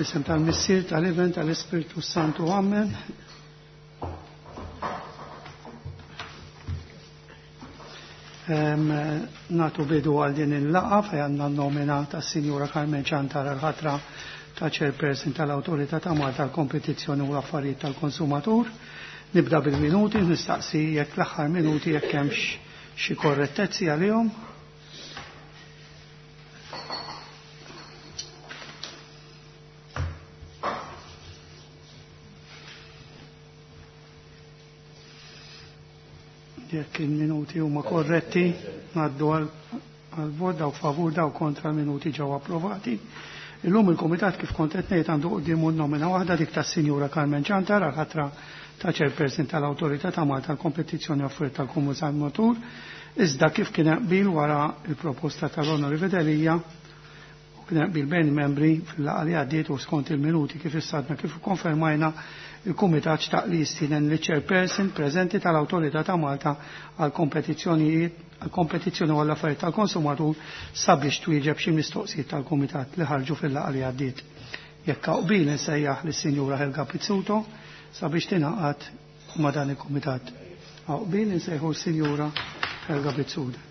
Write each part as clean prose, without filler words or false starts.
Fl-isem tal-Missier, tal-Iben, tal-Ispirtu Santu, Amen. Natu bidu għal din il-laqa fej għandna nomina ta' Sinjura Carmen Ciantar għal-ħatra ta' Chairperson tal-Awtorità ta' Malta għal-Kompetizzjoni u l-Affarijiet tal-Konsumatur. Nibda bil-minuti, nistaqsi jekk l-aħħar minuti jekk hemmx xi korrettezzi għalihom. Jekk il-minuti huma korretti, ngħaddu għal vot daw favur daw kontra minuti ġew approvati. Illum il-Kumitat kif kont qed ngħid għandu quddiemu nomina waħda dik tas-Sinjura Carmen Ciantar għal ħatra ta' Chairperson tal-Awtorità ta' Malta għall-Kompetizzjoni Affarijiet tal-Konsumatur, iżda kif kien qbil wara il-proposta tal-Onorevoli Delia u kien qbil bejn membri fil-laqgħa li għaddiet u skont il-minuti kif issadna kif konfermajna il-Kumitat xtaq li jistieden li chairperson preżenti tal-Awtorità ta' Malta għal kompetizzjonijiet għal kompetizzjoni u għall-affarijiet tal-konsumatur sabiex twieġeb xi mistoqsijiet tal-Kumitat li ħarġu fil-laqgħa li għaddiet. Jekk qbil insejjaħ lis-Sinjura Helga Pizzuto sabiex tingħaqad ma' dan il-Kumitat. Qbil insejħu s-Sinjura Helga Pizzuto.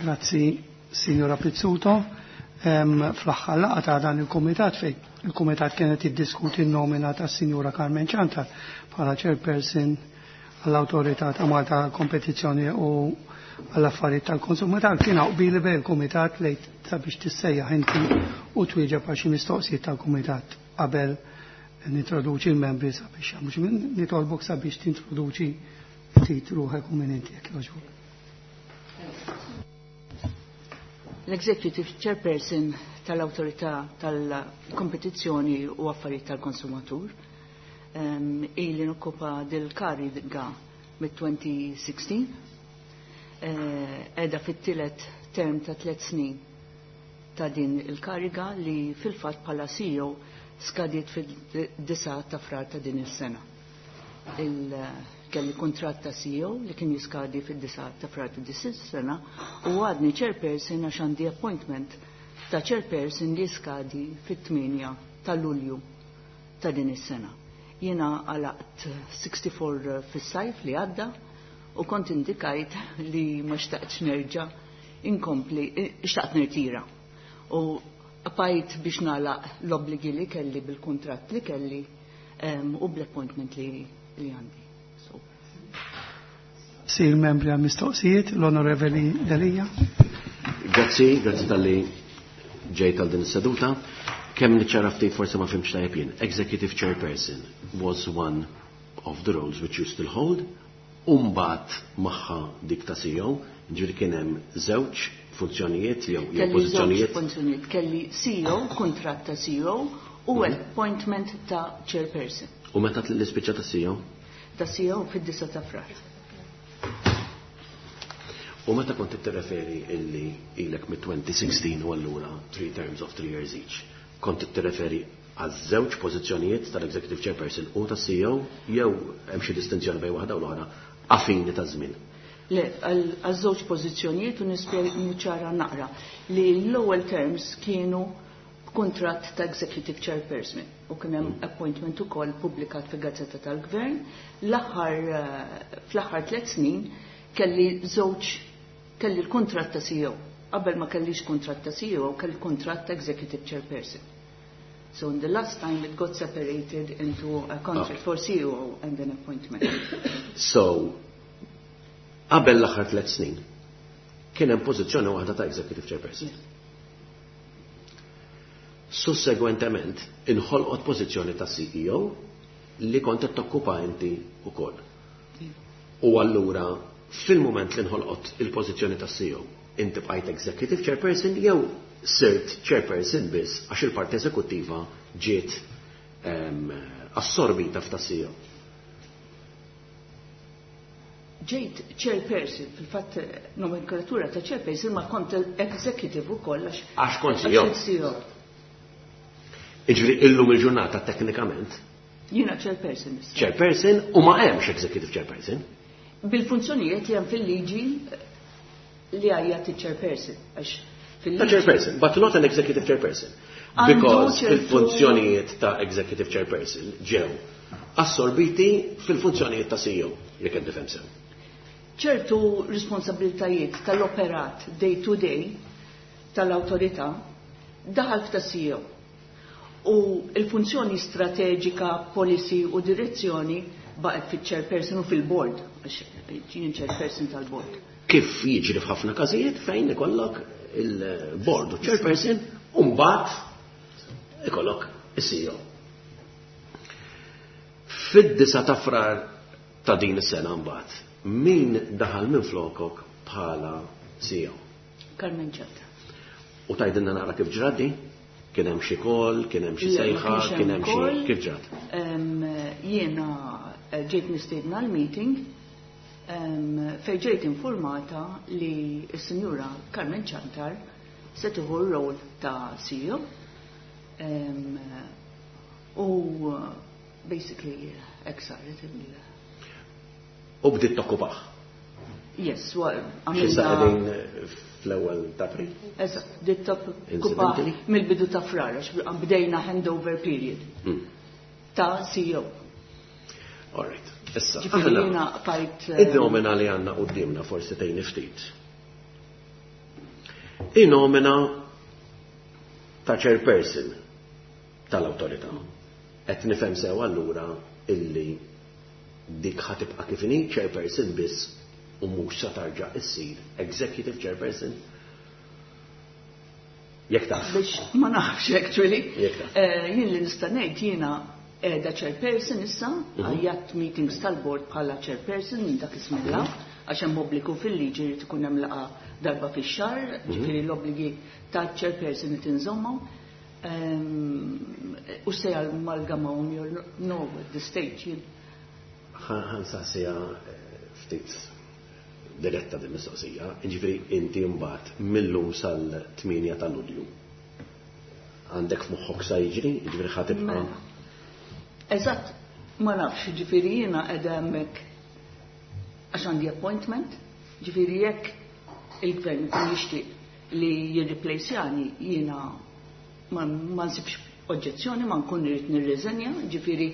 Grazzi, Signora Pizzuto. Fl-aħħar laqgħa ta' dan il-kumitat fej il-kumitat kienet iddiskuti n-nomina ta' Signora Carmen Ciantar bħala chairperson għall-Awtorità ta' Malta Kompetizzjoni u għall-affarijiet tal-konsumatur kien qbil bejn il-kumitat lejn sabiex tissejjaħ inti u twieġeb għal xi mistoqsijiet tal-kumitat qabel nintroduċi l-membri sabiex jagħmlu. Nitolbok sabiex tintroduċi ftit ruħek u minn inti jekk jogħġbok. L-Executive Chairperson tal-Awtorità tal-Kompetizzjoni u Affarijiet tal-Konsumatur. Ili nokkupa dil-kariga mit-2016. Edha fit-tielet term ta' 3 snin ta' din il-kariga li fil-fatt bħala CEO skadiet fid-9 ta' frar ta' din is-sena. Kelli kuntratt ta' CEO li kien jiskadi fid-9 ta' frar ta' din is-sena u għadni chairperson għax għandi appointment ta' chairperson li jiskadi fit-8 ta' Lulju ta' din is-sena. Jiena għalaqt 64 fis-sajf li għadda u kont indikajt li ma xtaqtx nerġa' inkompli, xtaqt nirtira. U bqajt biex nagħlaq l-obbligi li kelli bil-kuntratt li kelli u bl-appointment li għandi. So. Sir membri għal mistoqsijiet, l-Onorevoli Delia. Grazzi, grazzi tal-li ġejt għal din is-seduta. Kemm niċċara ftit forsi ma fhimx tajjeb jien. Executive Chairperson was one of the roles which you still hold. Umbat magħha dik ta' CEO, ġifieri kien hemm żewġ funzjonijiet jew Kelli żewġ pożizzjonijiet. funzjonijiet, kelli CEO, kuntratt ta' CEO u appointment ta' chairperson. U meta l-ispiċċa ta' CEO? Ta' CEO fid-9 ta' frar. U meta kont tirreferi illi ilek mit-2016 u allura 3 terms of 3 years each, kont tirreferi għaż-żewġ pożizzjonijiet tal-Executive Chairperson u tas-CEO jew hemm xi distinzjoni bejn waħda u l-oħra għafini ta' żmien? Le, għaż-żewġ pożizzjonijiet u niċċara naqra li l-ewwel terms kienu kuntratt ta' Executive Chairperson u kien hemm appointment ukoll pubblikat fil-Gazzetta tal-Gvern. Fl-aħħar 3 snin kelli żewġ, kelli l-kuntratt ta' CEO. Qabel ma kellix kuntratt ta' CEO, kelli kuntratt ta' Executive Chairperson. So in the last time it got separated into a contract for CEO and an appointment. So, qabel l-aħħar 3 snin, kien hemm pożizzjoni waħda ta' Executive Chairperson. Yes. Sussegwentement, inħolqot pożizzjoni ta' CEO li kont qed tokkupa inti wkoll. U allura, fil-mument li nħolqot il-pożizzjoni ta' CEO, inti bqajt Executive Chairperson jew sirt Chairperson biss għax il-parti eżekuttiva ġiet assorbita f'ta' CEO? Ġejt chairperson, fil-fatt nomenklatura ta' chairperson, ma kont executive ukoll għax. Għax kont CEO. CEO. Jiġifieri illum il-ġurnata teknikament. Jiena chairperson issa. Chairperson u ma hemmx executive chairperson. Bil-funzjonijiet li hemm fil-liġi li għajjat il-chairperson. Għax Ta' chairperson, but not an executive chairperson. Because il-funzjonijiet ta' executive chairperson ġew assorbiti fil-funzjonijiet ta' CEO, jekk qed nifhem sew. Ċertu responsabilitajiet tal-operat day to day tal-awtorità daħal ta' CEO. U il-funzjoni strateġika, policy u direzzjoni baqgħet fiċ-chairperson u fil-board, għax jien chairperson tal-board. Kif jiġri f'ħafna każijiet fejn ikollok il-board u chairperson u mbagħad ikollok is-CEO. Fid-9 ta' Frar ta' din is-sena mbagħad, min daħal minn flokok bħala CEO? Carmen Ciantar. U tgħidilna naqra kif ġrat di? Kien hemm xi call, kien hemm xi sejħa, kien hemm xi kif ġrat? Jiena ġejt mistiedna l-meeting fejn ġejt informata li s-Sinjura Carmen Ciantar se tieħu r-rol ta' CEO. U basically hekk saret il- U bdiet tokkupah. Yes, għamilna. Qegħdin fl-ewwel ta' April? Eżatt, bdiet tokkupah mill-bidu ta' Frar, għax bdejna handover period ta' CEO. All right. Issa, Ġifieri jiena bqajt. Id-nomina li għandna qudiemna forsi tgħinni ftit. In-nomina ta' chairperson tal-awtorità. Qed nifhem sew allura illi dik ħa tibqa' kif inhi chairperson biss u mhux sa tarġa' issir executive chairperson? Jekk taf. Biex ma nafx actually. Jekk taf. Jien li nista' ngħid, jiena qiegħda chairperson issa, għajjatt meetings tal-board bħala chairperson minn dak iż-żmien għax hemm obbligu fil-liġi li tkun hemm laqgħa darba fix-xahar, ġifieri l-obbligi ta' chairperson qed inżommhom. U se amalgamawhom jew no at the stage jien. Ħa nsaqsiha ftit diretta din mistoqsija, ġifieri inti mbagħad millum sal-8 ta' Lulju. Għandek f'moħħok sa jiġri, ġifieri ħa tibqa'. Mela. Eżatt, ma nafx, ġifieri jiena qiegħda hemmhekk għax għandi appointment, ġifieri jekk il-gvern ikun jixtieq li jirreplacjani, jiena ma nsibx oġġezzjoni, ma nkun irid nirriżenja, ġifieri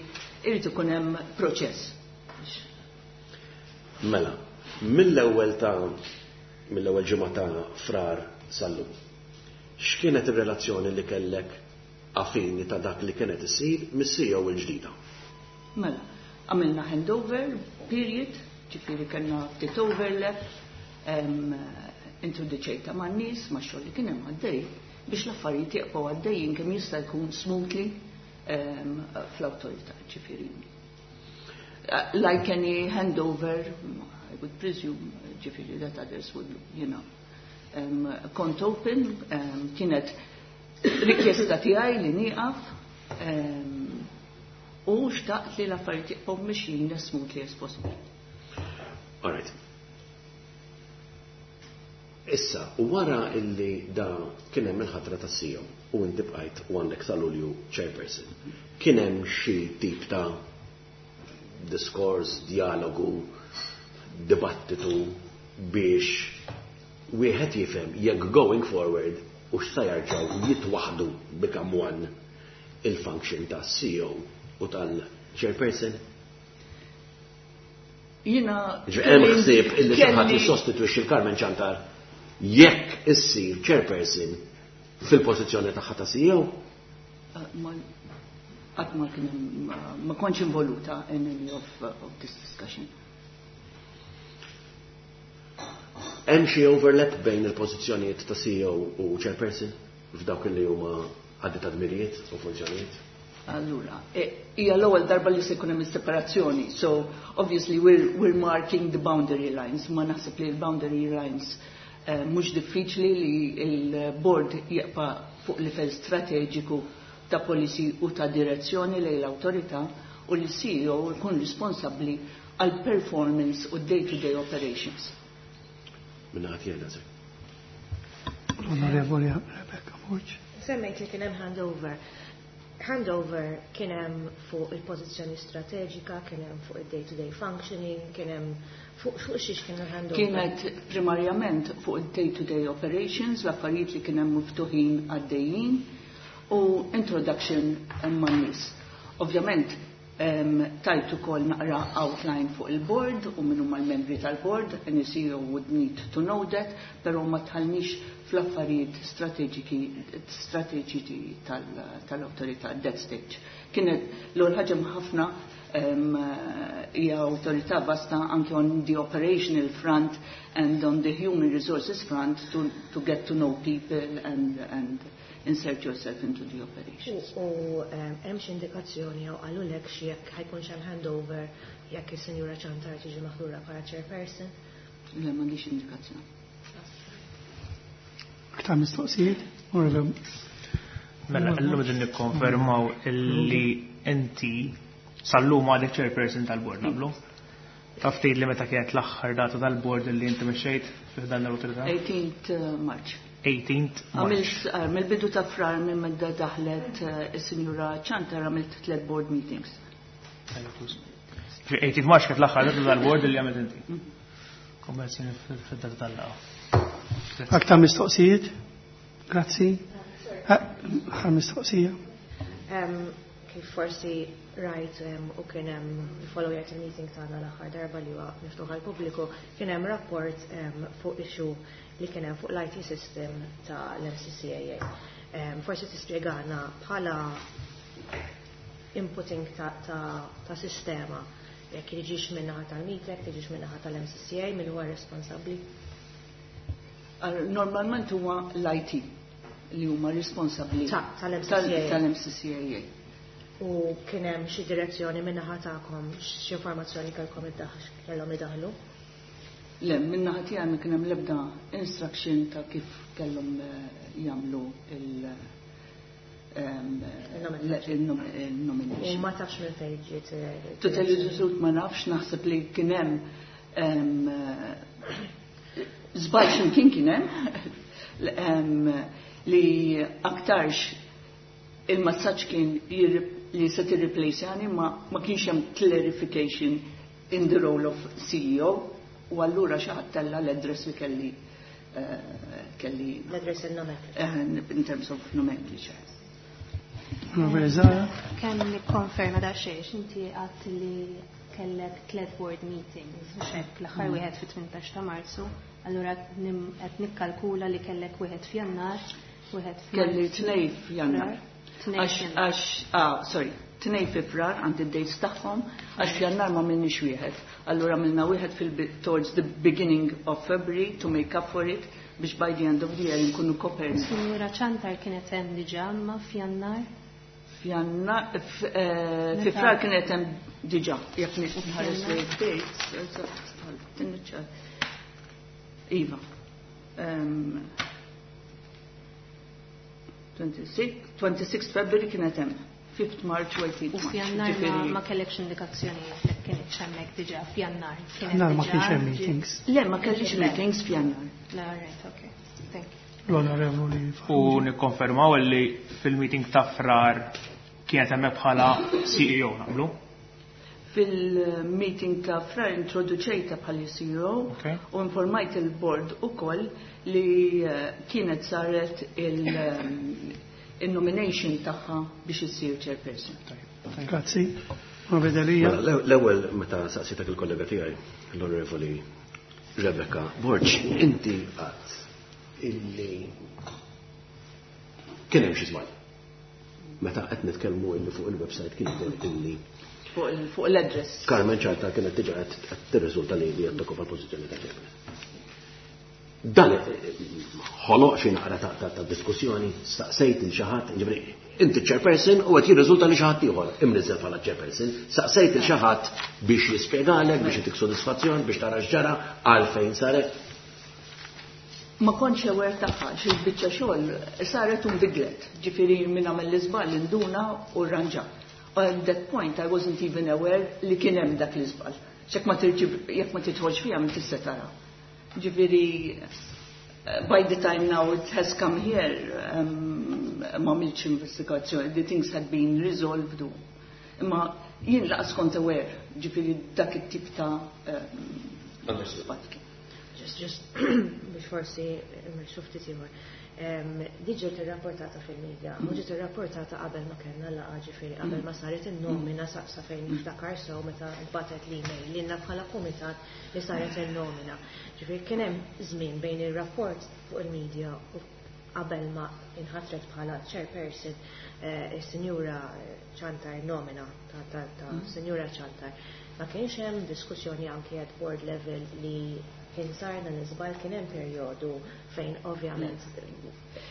irid ikun hemm proċess. Mela, mill-ewwel ġimgħa ta' Frar sal-lum, x'kienet ir-relazzjoni li kellek affini ta' dak li kienet issir mis-CEO il-ġdida? Mela, għamilna handover period, ġifieri kellna ftit overlap, introduċejta man-nies, ma' xogħol li kien hemm għaddej, biex l-affarijiet jibqgħu għaddejjin kemm jista' jkun smoothly fl-awtorità, ġifieri. Like any handover, I would presume, ġifieri that others would. Kont open, kienet rikjesta tiegħi li nieqaf, u xtaqt li l-affarijiet jibqgħu mixjin as smoothly as possible. All right. Issa, wara illi da kien hemm il-ħatra ta' CEO u inti bqajt u għandek sa Lulju chairperson, kien hemm xi tip ta' diskors, dialogu, dibattitu biex wieħed jifhem jekk going forward u x'sa jarġgħu jitwaħdu become one il-function ta' CEO u tal-chairperson? Jiena Hemm ħsieb illi xi ħadd jissostitwixxi l-Carmen Ciantar jekk issir chairperson fil-pożizzjoni tagħha ta' CEO? Qatt ma kien ma kontx involuta in any of this discussion. Hemm xi overlap bejn il-pożizzjonijiet ta' CEO u chairperson f'dawk li huma għaddi ta' dmirijiet u funzjonijiet? Allura, hija l-ewwel darba li se jkun hemm separazzjoni, so obviously we're marking the boundary lines, ma naħseb li l-boundary lines mhux diffiċli li l-board jibqa' fuq livell strateġiku ta' policy u ta' direzzjoni lejn l-awtorità. u li CEO jkun responsabbli għal performance u day-to-day operations. Minna ħati għedha, L-Onorevoli Rebecca Borg. Semmejt li kien hemm handover. Handover kien hemm fuq il-pożizzjoni strateġika, kien hemm fuq il-day-to-day functioning, kien hemm fuq xiex kien il-handover. Kienet primarjament fuq il-day-to-day operations, l-affarijiet li kien hemm miftuħin għaddejjin u introduction man-nies. Ovvjament, tajt ukoll naqra outline fuq il-board u min huma l-membri tal-board, any CEO would need to know that, però ma dħalniex fl-affarijiet strateġiċi tal-awtorità at that stage. Kienet l-ewwel ħaġa ħafna hija awtorità vasta anke on the operational front and on the human resources front to get to know people and insert yourself into the operations. U hemm xi indikazzjoni jew qalulek xi jekk ħa jkunx hemm handover jekk is-Sinjura Ciantar tiġi maħtura bħala chairperson? Le, m'għandix indikazzjoni. Aktar mistoqsijiet? Mela, llum qegħdin nikkonfermaw illi inti sal-lum għadek chairperson tal-board, naqblu? Taf tgħid li meta kienet l-aħħar data tal-board li inti mexxejt fi dan l-awtorità? 18th March. 18th March. Għamilt mill-bidu ta' Frar minn meta daħlet is-Sinjura Ciantar għamilt tliet board meetings. 18th March kienet l-aħħar data tal-board li għamilt inti. Kommenzjoni fid-data tal-laqgħa. Aktar mistoqsijiet? Grazzi. Aħħar mistoqsija. Kif forsi rajt u kien hemm followjajt il-meeting tagħna l-aħħar darba li huwa miftuħ għall-pubbliku, kien hemm rapport fuq issue li kien hemm fuq l-IT system ta' l-MCCAA. Forsi tispjegana bħala inputting ta' sistema jekk jiġix min-naħa tal-METEC, tiġix min-naħa tal-MCCA, min huwa responsabbli? Normalment huwa l-IT li huma responsabbli tal-MCCAA. Tal-MCCAA. U kien hemm xi direzzjoni min-naħa tagħkom, xi informazzjoni kellkom kellhom idaħlu? Le, min-naħa tiegħi ma kien hemm l-ebda instruction ta' kif kellhom jagħmlu il-nomination. U ma tafx minn fejn ġiet? To tell you the truth, ma nafx, naħseb li kien hemm żball x'imkien kien hemm li aktarx il-messaġġ kien li se tirreplace ma kienx hemm clarification in the role of CEO u allura xi ħadd tella l-address li kelli l-address il-nomenclature. In terms of nomenclature. Kemm nikkonferma da xejn, inti għadt li kellek tliet board meetings, u hekk l-aħħar wieħed fit-18 ta' Marzu, allura qed nikkalkula li kellek wieħed f'Jannar, wieħed Kelli tnej f'Jannar. Tnej f'Jannar. Għax, sorry, tnej fi Frar għandi d-dates tagħhom, għax f'Jannar ma għamilniex wieħed. Allura għamilna wieħed towards the beginning of February to make up for it biex by the end of the year nkunu koperni. Sinjura Ciantar kienet hemm diġà ma f'Jannar? F'Jannar, fi Frar kienet hemm diġà, jekk nħares li dates, Iva. 26 February kienet hemm. 5th March u 18th U March. f'Jannar Ġifieri ma kellekx indikazzjoni jekk kienet hemmhekk diġà f'Jannar. Kienet Jannar ma diġà kienx hemm ġi- meetings. Le, ma kellix Le. meetings f'Jannar. Le, all right, okay. Thank you. L-Onorevoli U nikkonfermaw li fil-meeting ta' Frar kienet hemmhekk bħala CEO naqblu? Fil-meeting ta' Frar introduċejta bħala CEO u informajt il-board ukoll li kienet saret il-nomination tagħha biex issir chairperson. Grazzi. Ma vedelija. Mela, l-ewwel meta saqsitek il-kollega tiegħi, l-Onorevoli Rebecca Borg, inti qatt illi kien hemm xi żball. Meta qed nitkellmu illi fuq il-website kien jidher illi fuq l-address. Carmen Ciantar kienet diġà qed tirriżulta li qed tokkupa l-pożizzjoni ta' chairperson. Dan ħoloq xi naqra ta' diskussjoni, staqsejt il xi ħadd, ġifieri inti chairperson u qed jirriżulta li xi ħadd ieħor imniżżel bħala chairperson, staqsejt il xi ħadd biex jispjegalek, biex itik sodisfazzjon, biex tara x'ġara, għalfejn saret. Ma kontx aware tagħha, xi biċċa xogħol saret u nbidlet. Ġifieri min għamel l-iżball induna u rranġa. At that point I wasn't even aware li kien hemm dak l-iżball. Jekk ma tirġib jekk ma tidħolx fiha ma tista' tara. Ġifieri by the time now it has come here ma għamiltx investigazzjoni, the things had been resolved. Imma jien lanqas kont aware, ġifieri dak it-tip ta' Understood. Just biex forsi mmexxu ftit ieħor. Di ġiet irrapportata fil-medja u ġiet irrapportata qabel ma kellna laqgħa, ġifieri qabel ma saret in-nomina sa fejn niftakar sew meta nbatet l-email lilna bħala kumitat li saret in-nomina. Ġifieri kien hemm żmien bejn ir-rapport fuq il-medja u qabel ma inħatret bħala chairperson is-Sinjura Ciantar, nomina ta' Sinjura Ciantar. Ma kienx hemm diskussjoni anke at board level li kien sar dan iż-żball, kien hemm perjodu fejn ovvjament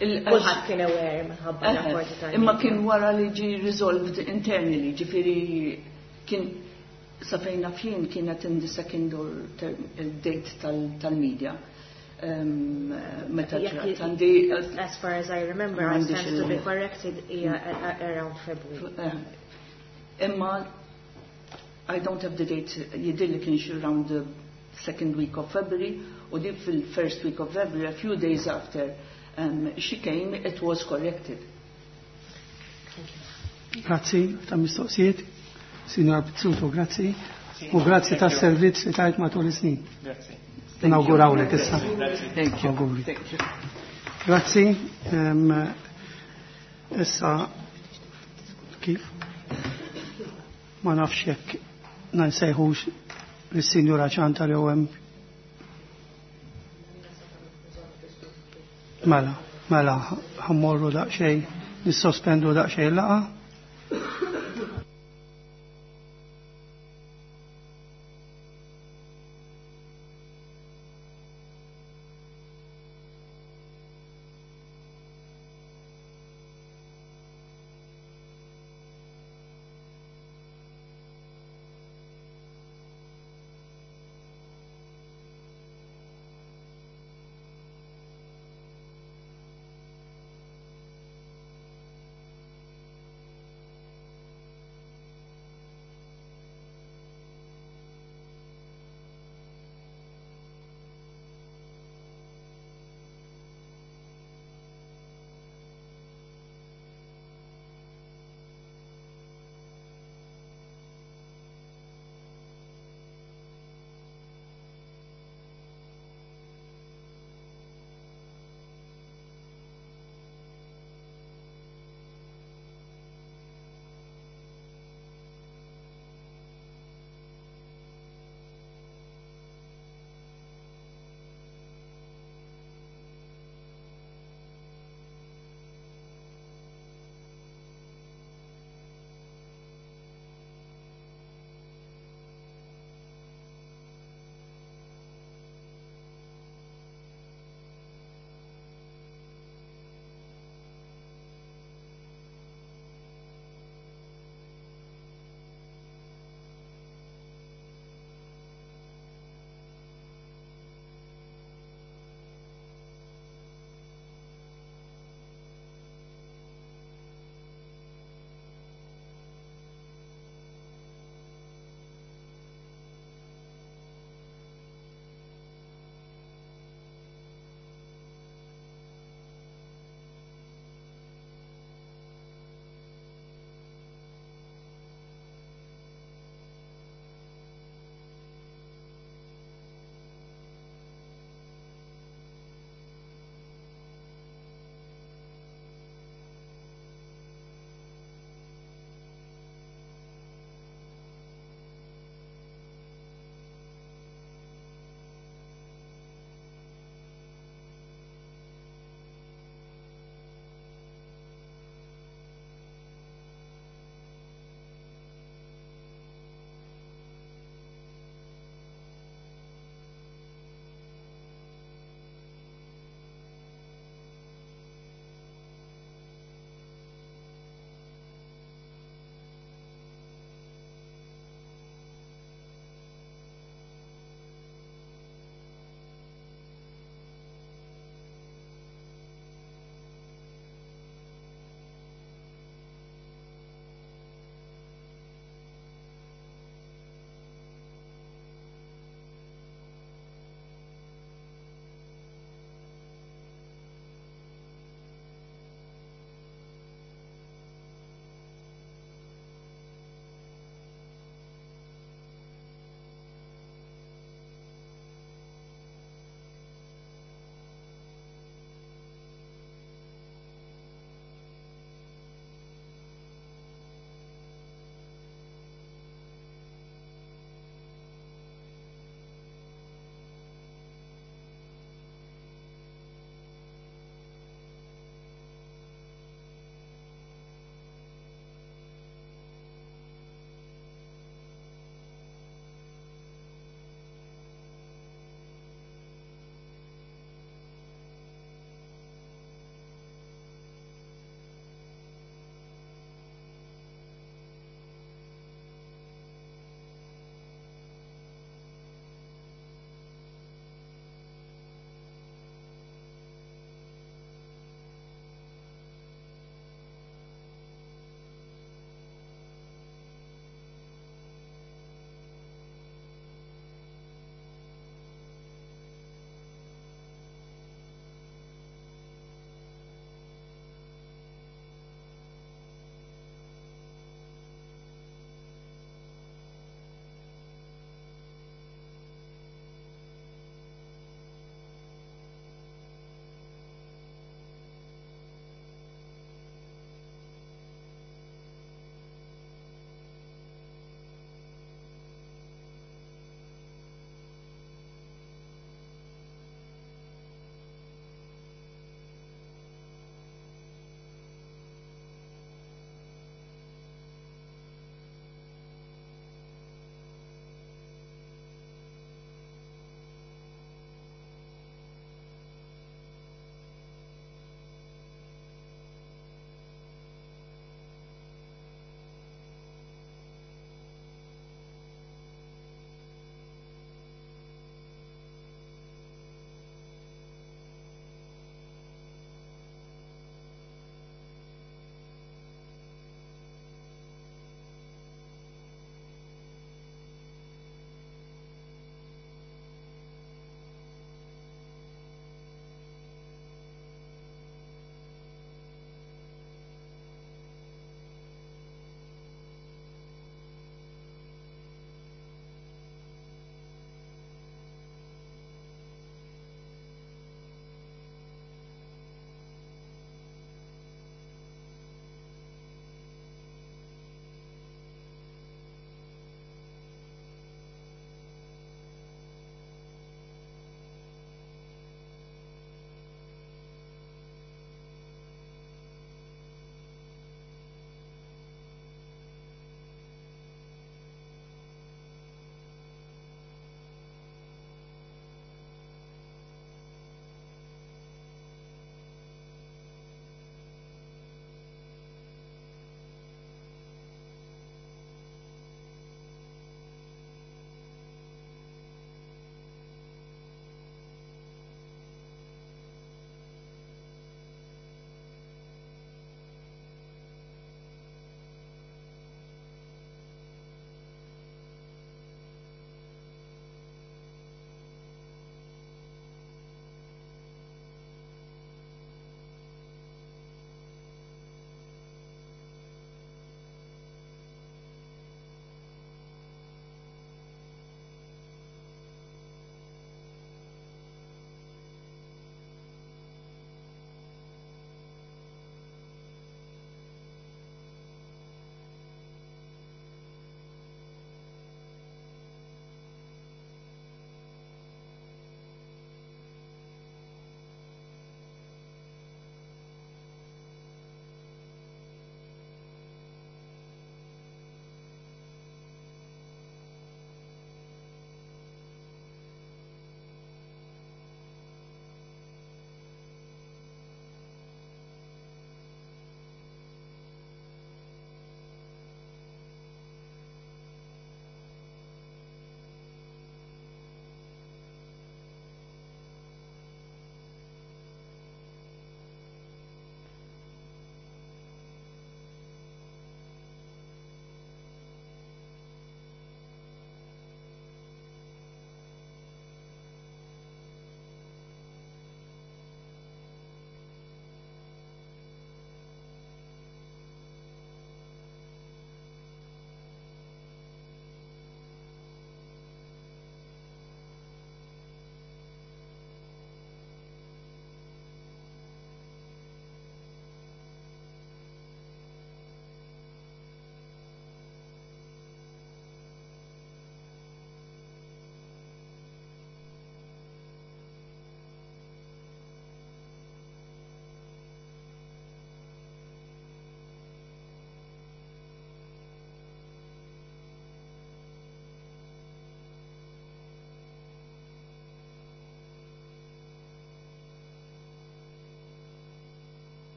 kulħadd kien aware minħabba rapporti tal Imma kien wara li ġi resolved internally, ġifieri kien sa fejn naf jien kienet in the second or third date tal-media. Meta ġrat għandi As far as I remember, I stand to be corrected, hija around February. Imma I don't have the date, jidhirli kien xi around the second week of February, u di fil-first week of February, a few days after she came, it was corrected. Grazzi ta' mistoqsijiet, Signor Pizzuto, grazzi. U grazzi ta' servizz li tajt matul is-snin. Grazzi. Nawgurawlek issa. Thank you. Auguri. Thank you. Grazzi. Issa kif? Ma nafx jekk nsejħux lis-Sinjura Ciantar jew hemm. Mela, mela, ħa mmorru daqsxejn, nissospendu daqsxejn laqgħa.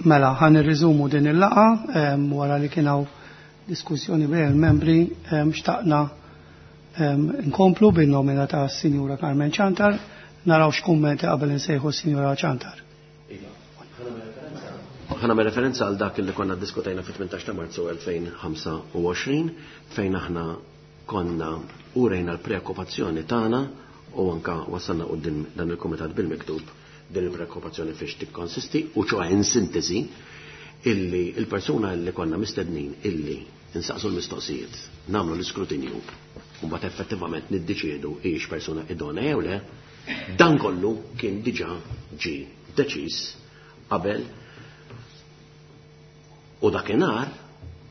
Mela, ħan irriżumu din il-laqa wara li kien hawn diskussjoni bejn il-membri xtaqna nkomplu bin-nomina ta' Sinjura Carmen Ciantar, naraw x'kummenti qabel insejħu Sinjura Ciantar. Ħa nagħmel referenza għal dak li konna diskutajna fit-18 ta' Marzu 2025 fejn aħna konna urejna l-preokkupazzjoni tagħna u anka wasalna quddiem dan il-kumitat bil-miktub din il-preokkupazzjoni fiex tikkonsisti u ċoħe in sintesi illi il-persuna li konna mistednin illi insaqsu l-mistoqsijiet, nagħmlu l-iskrutinju u mbagħad effettivament niddeċiedu hijiex persuna idonea jew le, dan kollu kien diġà ġie deċiż qabel u dakinhar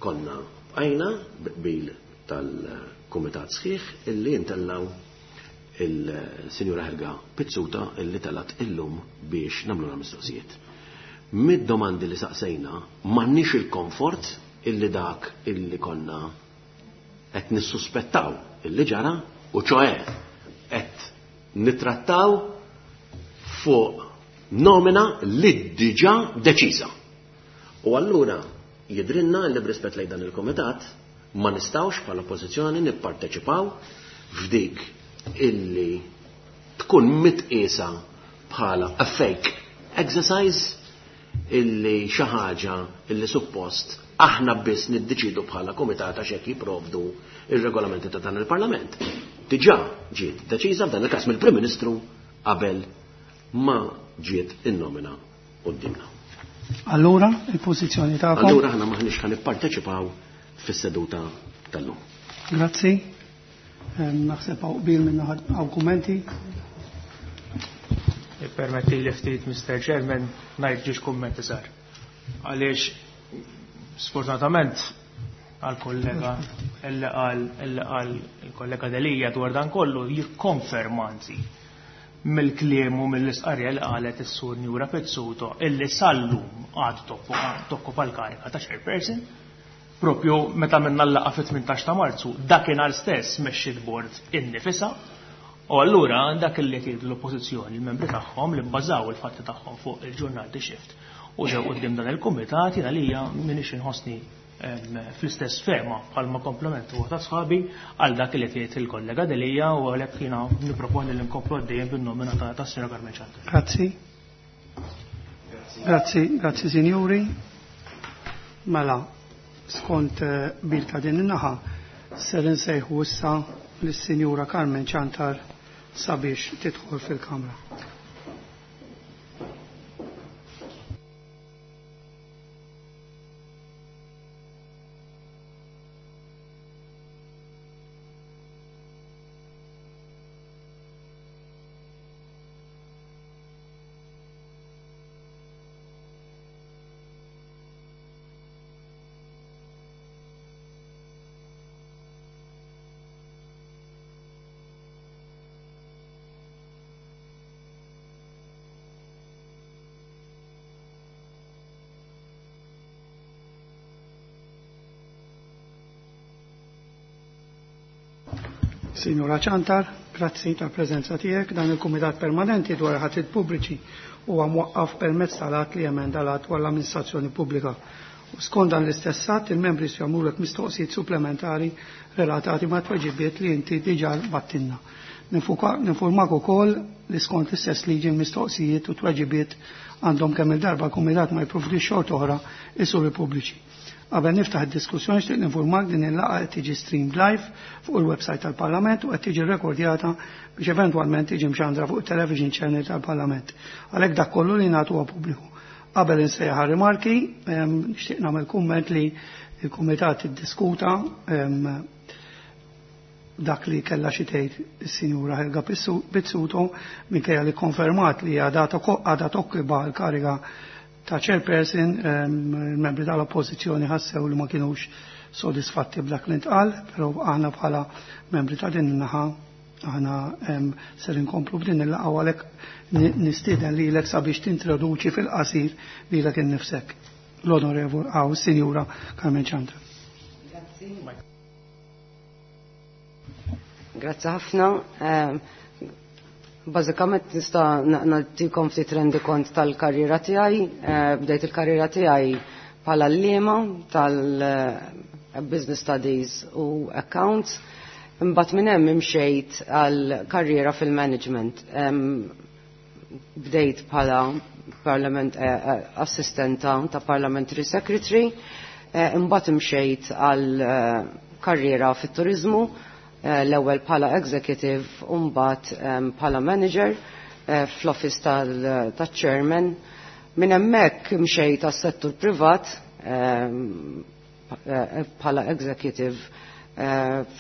konna bqajna bil tal-kumitat sħiħ illi intellaw il-Sinjura Helga Pizzuta illi telat illum biex nagħmlu l-mistoqsijiet. Mid-domandi li saqsejna m'għandniex il-komfort illi dak illi konna qed nissuspettaw illi ġara u ċoe qed nitrattaw fuq nomina li diġà deċiża. U allura jidrinna li b'rispett lejn dan il-komitat ma nistawx bħala oppożizzjoni nipparteċipaw f'dik illi tkun mitqiesa bħala a fake exercise illi xi ħaġa illi suppost aħna biss niddeċidu bħala komitat għax hekk jipprovdu ir-regolamenti ta' dan il-Parlament. Diġà ġiet deċiża f'dan il-każ mill-Prim Ministru qabel ma ġiet in-nomina qudiemna. Allura, il-pożizzjoni tagħkom? Allura aħna maħniex ħa nipparteċipaw fis-seduta tal-lum. Grazzi. Naħseb hawn qbil minn hawn kummenti. Permetti li ftit, Mr. Chairman, ngħid ġiex kummenti sar. Għaliex sfortunatament għal-kollega illi qal illi qal il-kollega Delija dwar dan kollu jikkonferma anzi mill-kliem u mill-isqarja li qalet is-sur Njura Pizzuto illi sallum għad tokkupa l-karika ta' chairperson propju meta minna l-laqa fit-18 ta' Marzu dakinhar stess mexxiet bord innifisha u allura dak li tgħidu l-oppożizzjoni il-membri tagħhom li bbażaw il-fatti tagħhom fuq il-ġurnal The Shift u ġew quddiem dan il-kumitat jiena lija m'iniex inħossni fl-istess fehma bħalma komplement huwa ta' sħabi għal dak li tgħid il-kollega Delija u għalhekk jiena nipproponi li nkomplu għaddejjem bin-nomina ta' Sinjora Carmen Ciantar. Grazzi. Grazzi, grazzi sinjuri. Mela, skont bil ta' din in-naħa, ser insejħu issa lis-Sinjura Carmen Ciantar sabiex tidħol fil-Kamra. Signora Ciantar, grazzi tal-preżenza tiegħek. Dan il-Kumitat Permanenti dwar ħatit pubbliċi huwa mwaqqaf permezz tal-att li emenda l-att dwar l-amministrazzjoni pubblika. U skont dan l-istess att, il-membri se jagħmlulek mistoqsijiet supplementari relatati ma' tweġibiet li inti diġà battinna. Ninformak ukoll li skont l-istess liġi l-mistoqsijiet u tweġibiet għandhom kemm il-darba l-Kumitat ma jipprovdix xorta oħra isuri pubbliċi. Qabel niftaħ id-diskussjoni xtieq ninformak din il-laqgħa qed tiġi streamed live fuq il-website tal-Parlament u qed tiġi rekordjata biex eventwalment tiġi mxandra fuq il-television channel tal-Parlament. Għalhekk dak kollu li nagħtu huwa pubbliku. Qabel insejjaħ rimarki, nixtieq nagħmel kumment li l-Kumitat iddiskuta dak li kellha xi tgħid is-Sinjura Helga Pizzuto minkejja li konfermat li għadha tokkiba l-kariga ta' chairperson, il-membri tal-oppożizzjoni ħassew li ma kienux sodisfatti b'dak li ntqal, però aħna bħala membri ta' din in-naħa aħna ser inkomplu b'din il-laqgħa għalhekk nistieden lilek sabiex tintroduċi fil-qasir lilek innifsek. L-Onorevol għaw, Sinjura Carmen Ciantar. Grazzi. Grazzi ħafna. Bażikament nista' nagħtikom ftit rendikont tal-karriera tiegħi. Bdejt il-karriera tiegħi bħala l-liema tal-Business Studies u Accounts. Imbagħad minn hemm imxejt għal karriera fil-management. Bdejt bħala parlament assistenta ta' parliamentary secretary, imbagħad imxejt għal karriera fit-turizmu, l-ewwel bħala executive u mbagħad bħala manager fl-office tal-chairman. Minn hemmhekk mxejt għas-settur privat bħala executive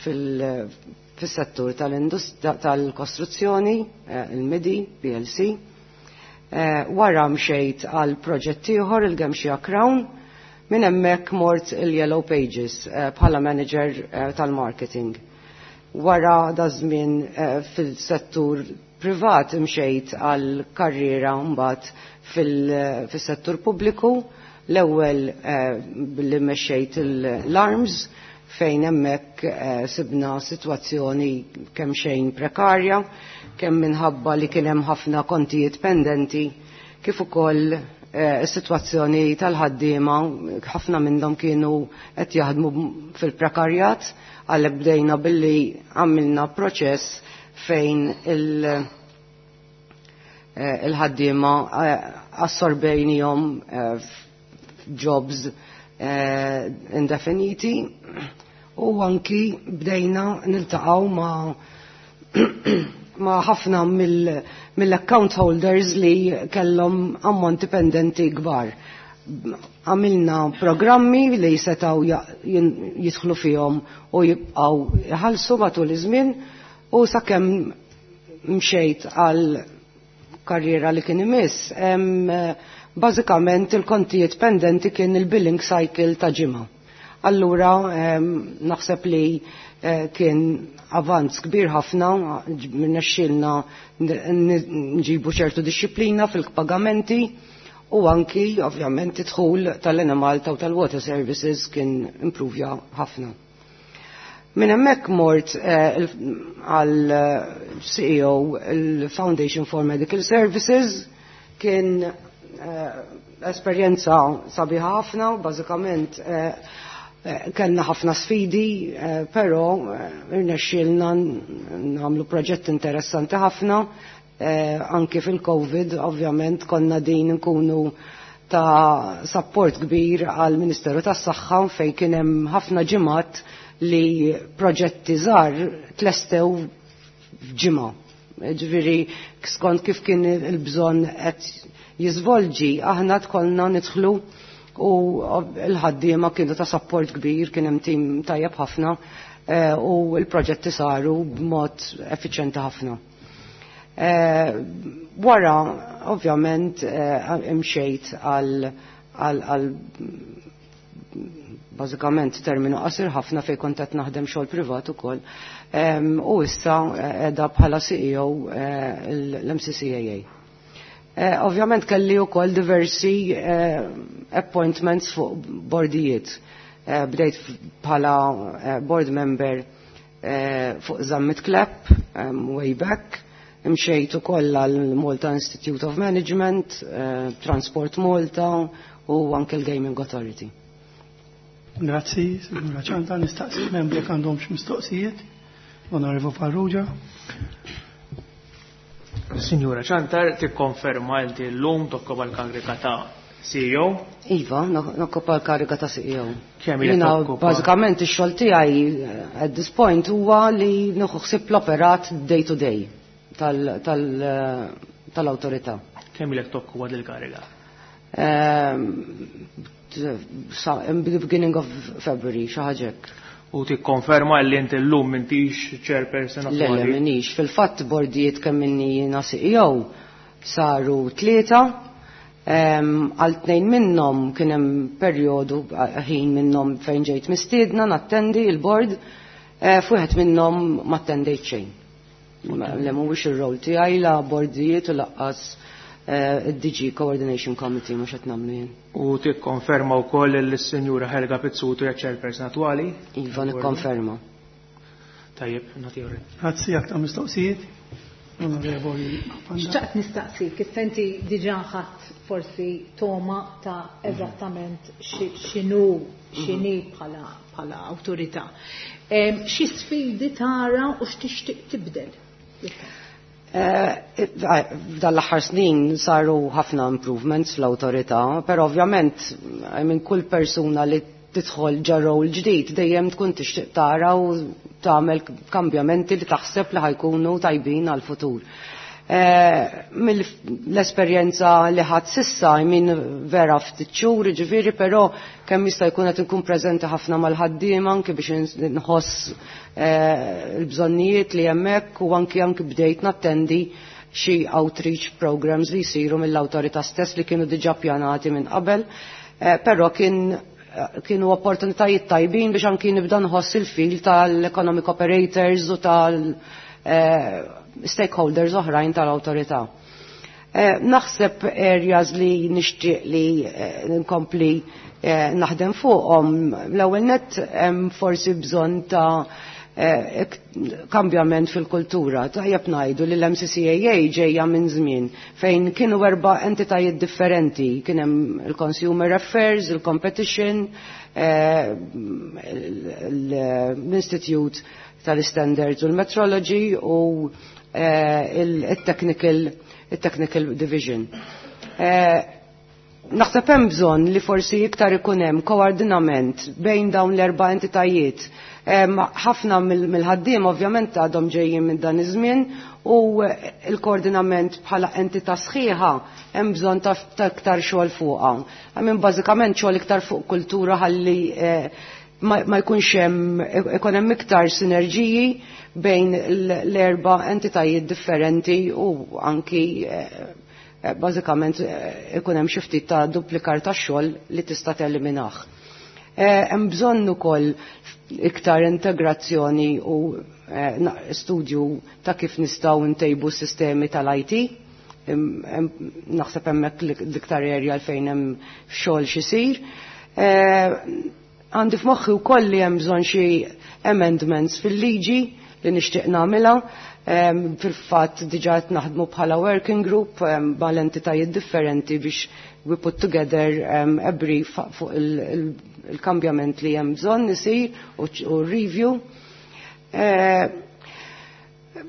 fis-settur tal-kostruzzjoni, il-MIDI, PLC. Wara mxejt għal proġett ieħor il-Gemxia Crown, minn hemmhekk mort il-Yellow Pages bħala manager tal-marketing. Wara da żmien fil-settur privat imxejt għal karriera mbagħad fil-settur pubbliku, l-ewwel billi mexxejt l-arms fejn hemmhekk sibna sitwazzjoni kemm xejn prekarja, kemm minħabba li kien hemm ħafna kontijiet pendenti, kif ukoll is-sitwazzjoni tal-ħaddiema, ħafna minnhom kienu qed jaħdmu fil-prekarjat, għalhekk bdejna billi għamilna proċess fejn il-ħaddiema assorbejnihom f'jobs indefiniti u anki bdejna niltaqgħu ma' ħafna mill-account holders li kellhom ammonti pendenti kbar. Għamilna programmi li setgħu jidħlu fihom u jibqgħu jħallsu matul iż-żmien u sakemm mxejt għal karriera li kien imiss, bażikament il-kontijiet pendenti kien il-billing cycle ta' ġimgħa. Allura naħseb li kien avanz kbir ħafna, nexxielna nġibu ċertu disċiplina fil-pagamenti u anki ovvjament id-dħul tal-Enemalta u tal-Water Services kien improvja ħafna. Minn hemmhekk mort għal CEO il-Foundation for Medical Services, kien esperjenza sabiħa ħafna, bażikament kellna ħafna sfidi, però irnexxielna nagħmlu proġett interessanti ħafna, anki fil-Covid, ovvjament konna din nkunu ta' support kbir għal Ministeru tas-Saħħa fejn kien hemm ħafna ġimgħat li proġetti żgħar tlestew f'ġimgħa. Ġifieri skont kif kien il-bżonn qed jiżvolġi, aħna tkollna nidħlu u l-ħaddiema kienu ta' support kbir, kien hemm tim tajjeb ħafna u l-proġetti saru b'mod effiċjenti ħafna. Wara, ovvjament, imxejt għal bażikament terminu qasir ħafna fejn kont qed naħdem xogħol privat ukoll. U issa qiegħda bħala CEO l-MCCAA. Ovvjament kelli wkoll diversi appointments fuq bordijiet. Bdejt bħala board member fuq Zammit Clapp way back. Imxejt ukoll għal Malta Institute of Management, Transport Malta u anke l-Gaming Authority. Grazzi, signora Ciantar, nistaqsi membri jekk għandhomx mistoqsijiet. Onorevole Farrugia. Signora Ciantar, tikkonferma inti llum tokkopa l-kariga ta' CEO? Iva, nokkopa l-kariga ta' CEO. Kemm ilek Jiena tokkopa? bażikament ix-xogħol tiegħi at this point huwa li nieħu ħsieb l-operat day to day tal-awtorità. Kemm ilek tokkopa dil-kariga? In the beginning of February, xi ħaġa hekk. U tikkonferma li inti llum m'intix chairperson Le, le, attwali? minix. Fil-fatt bordijiet kemm inni jiena CEO saru 3, għal 2 minnhom kien hemm perjodu ħin minnhom fejn ġejt mistiedna nattendi il-board, f'wieħed minnhom ma attendejt xejn. Le mhuwiex ir-rol tiegħi la bordijiet u laqqas id-DG Coordination Committee mhux qed nagħmlu jien. U tikkonferma wkoll li s-Sinjura Helga Pizzuto hija chairperson attwali? Iva, nikkonferma. Tajjeb, nagħti orri. Grazzi, aktar mistoqsijiet. Onorevoli. Xtaqt nistaqsik, issa inti diġà ħadd forsi toma ta' eżattament x'inhu x'inhi bħala awtorità. Xi sfidi tara u x'tixtieq tibdel? F'dan l-aħħar snin saru ħafna improvements fl-awtorità, però ovvjament minn kull persuna li tidħol ġo role ġdid dejjem tkun tixtieq tara u tagħmel kambjamenti li taħseb li ħa jkunu tajbin għal-futur. Mill-esperjenza li ħadt s'issa, I mean, vera ftit xhur, ġifieri, però kemm jista' jkun qed inkun preżenti ħafna mal-ħaddiema anke biex nħoss il-bżonnijiet li hemmhekk u anki bdejt nattendi xi outreach programs li jsiru mill-awtorità stess li kienu diġà pjanati minn qabel, però kienu opportunitajiet tajbin biex anki nibda nħoss il-feel tal-economic operators u tal-stakeholders oħrajn tal-awtorità. Naħseb areas li nixtieq li nkompli naħdem fuqhom, l-ewwel net hemm forsi bżonn ta' kambjament fil-kultura. Tajjeb ngħidu li l-MCCAA ġejja minn żmien fejn kienu erba' entitajiet differenti. Kien hemm il-Consumer Affairs, il-Competition, l-Institute tal-Standards u l-Metrology u il-Technical Division. Naħseb hemm bżonn li forsi iktar ikun hemm koordinament bejn dawn l-erba' entitajiet. Ħafna mill-ħaddiem ovvjament għadhom ġejjin minn dan iż-żmien u l-koordinament bħala entità sħiħa hemm bżonn ta' iktar xogħol fuqha. Għamin bażikament xogħol iktar fuq kultura ħalli ma jkunx hemm, ikun hemm iktar sinerġiji bejn l-erba' entitajiet differenti u anki bażikament ikun hemm xi ftit ta' duplikar ta' xogħol li tista' teliminah. Hemm bżonn ukoll iktar integrazzjoni u studju ta' kif nistgħu ntejbu s-sistemi tal-IT. Naħseb hemmhekk l-iktar area fejn hemm xogħol x'isir. Għandi f'moħħi wkoll li hemm bżonn xi amendments fil-liġi li nixtieq nagħmilha. Fil-fatt diġà qed naħdmu bħala working group mal-entitajiet differenti biex we put together a brief fuq il-kambjament li hemm bżonn isir u review.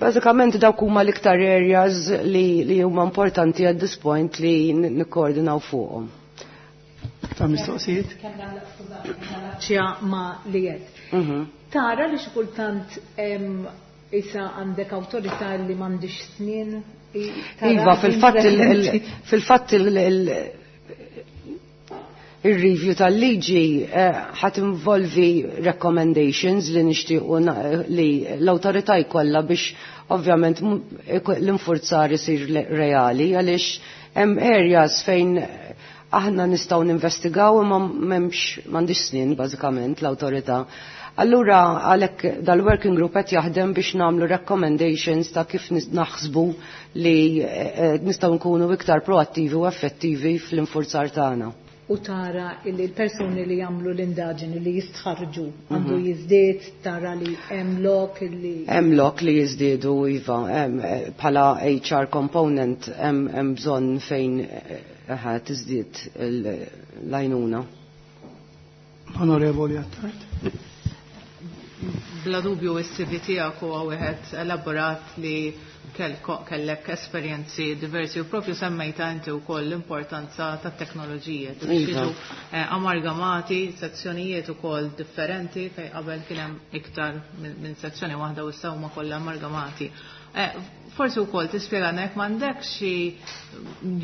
Bażikament dawk huma l-iktar areas li huma importanti at this point li nikkoordinaw fuqhom. Ta' mistoqsijiet? Ċja ma li jed. Tara li xi kultant issa għandek awtorità li m'għandix snin? Iva, fil-fatt il-review tal-liġi ħat involvi recommendations li nixtiequ li l-awtorità jkollha biex ovvjament l-infurzar isir reali, għaliex hemm areas fejn aħna nistgħu ninvestigaw imma m'hemmx, m'għandix snin bażikament l-awtorità. Allura għalhekk dal-working group qed jaħdem biex nagħmlu recommendations ta' kif naħsbu li nistgħu nkunu iktar proattivi u effettivi fl-infurzar tagħna. U tara illi l-persuni li jagħmlu l-indaġini li jistħarġu għandu jiżdied, tara li hemm lok illi Hemm lok li jiżdiedu, iva, hemm, bħala HR component hemm bżonn fejn tiżdied l-għajnuna. Onorevoli Attard. Bla dubju is-CV tiegħek huwa wieħed elaborat li kellek esperjenzi diversi u propju semmejta inti wkoll l-importanza tat-teknoloġija. Jiġu amalgamati sezzjonijiet ukoll differenti fejn qabel kien hemm iktar minn sezzjoni waħda u issa huma kollha amalgamati. Forsi wkoll tispjegana jekk m'għandek xi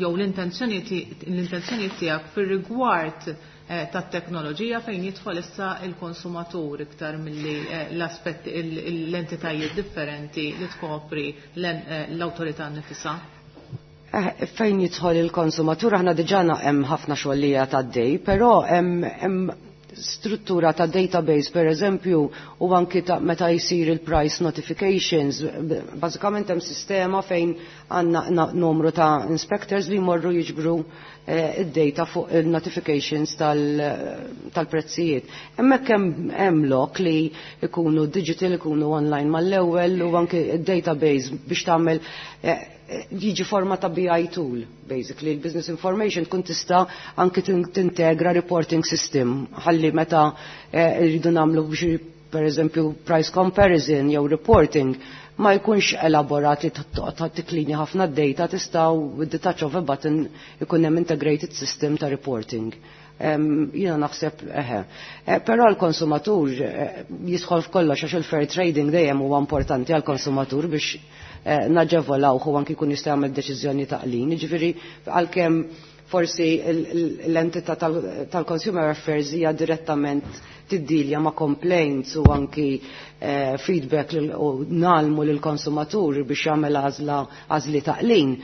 jew l-intenzjoni tiegħek fir-rigward tat-teknoloġija fejn jidħol issa il-konsumatur iktar milli l-aspetti l-entitajiet differenti li tkopri l-awtorità nnifisha. Fejn jidħol il-konsumatur aħna diġà hemm ħafna xogħol li għaddej, però hemm Struttura ta' database per eżempju u anki ta' meta jsir il-price notifications, bażikament hemm sistema fejn għandna numru ta' inspectors li jmorru jiġbru id-data fuq il-notifications tal-prezzijiet. Hemmhekk hemm lok li jkunu digital, ikunu online mal-ewwel u anki id-database biex tagħmel jiġi forma ta' BI tool, basically. Il-business information tkun tista' anki tintegra reporting system ħalli meta rridu nagħmlu biex per eżempju price comparison jew reporting ma jkunx elaborat li tiklini ħafna d-data, tistgħu with the touch of a button ikun hemm integrated system ta' reporting. Jiena naħseb eħe. Però l-konsumatur jidħol f'kollox għax il-fair trading dejjem huwa importanti għall-konsumatur biex naġevolaw u anki jkun jista' jagħmel deċiżjoni taqlin. Jiġifieri għalkemm forsi l-entità tal-Consumer Affairs hija direttament tiddilja ma' complaints u anki feedback u nalmu lill-konsumatur biex jagħmel għażla għażli taqlin.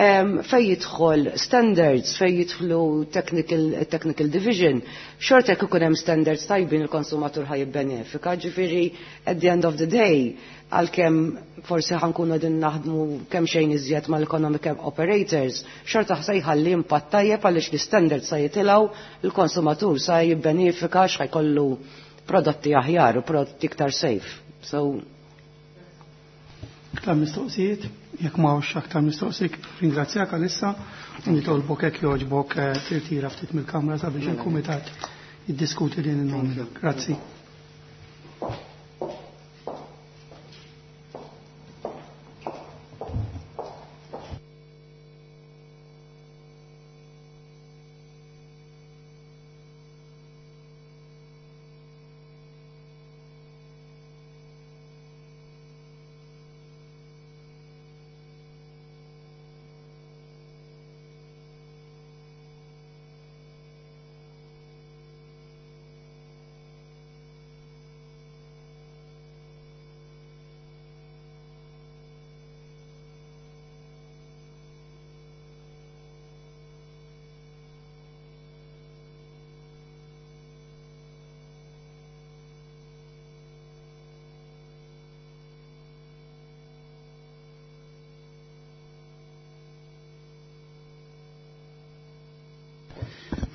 Fej jidħol standards, fej jidħlu technical division, xorta jekk ikun hemm standards tajbin il-konsumatur ħaj jibbenefika, ġifieri at the end of the day, għalkemm forsi ħankunu qegħdin naħdmu kemm xejn iżjed mal-economic operators, xorta se jħalli impatt tajjeb għaliex l-standards sa jitilgħu, il-konsumatur sa jibbenefika x'ħajkollu prodotti aħjar u prodotti iktar safe. So, Aktar mistoqsijiet, jekk m'hawnx aktar mistoqsijiet, ringrazzjak għalissa u nitolbok hekk jogħġbok tirtira ftit mill-kamra sabiex il-kumitat jiddiskuti din in-nomina. Grazzi.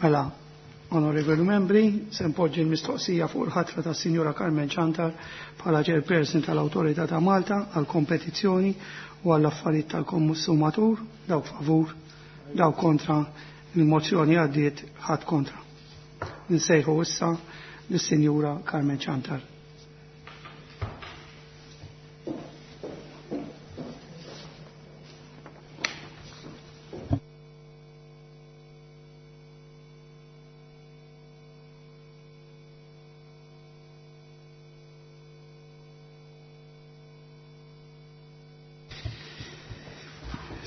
Mela, onorevoli membri, se npoġġi l-mistoqsija fuq il-ħatra ta' Sinjura Carmen Ciantar bħala chairperson tal-Awtorità ta' Malta għal kompetizzjoni u għall affarijiet tal-konsumatur, dawk favur, dawk kontra, il-mozzjoni għaddiet ħadd kontra. Nsejħu issa lis-Sinjura Carmen Ciantar.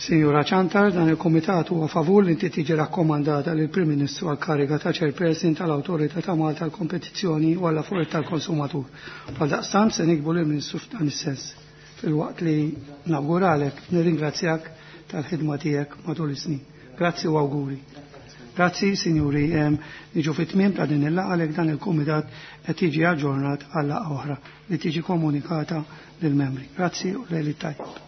Signora Ciantar, dan il-Komitat huwa favur li inti tiġi rakkomandata lill Prim Ministru għal kariga ta' Chairperson tal-Awtorità ta' Malta għal kompetizzjoni u għall affarijiet tal-konsumatur. Għal daqstant se nikbu lill Ministru f'dan is-sens. Filwaqt li nawguralek, nirringrazzjak tal-ħidma tiegħek matul is-snin. Grazzi u awguri. Grazzi, signori, niġu fit-tmiem ta' din il-laqgħa għalhekk dan il-Kumitat qed jiġi aġġornat għal laqgħa oħra li tiġi komunikata lill-membri. Grazzi u lejli tajjeb.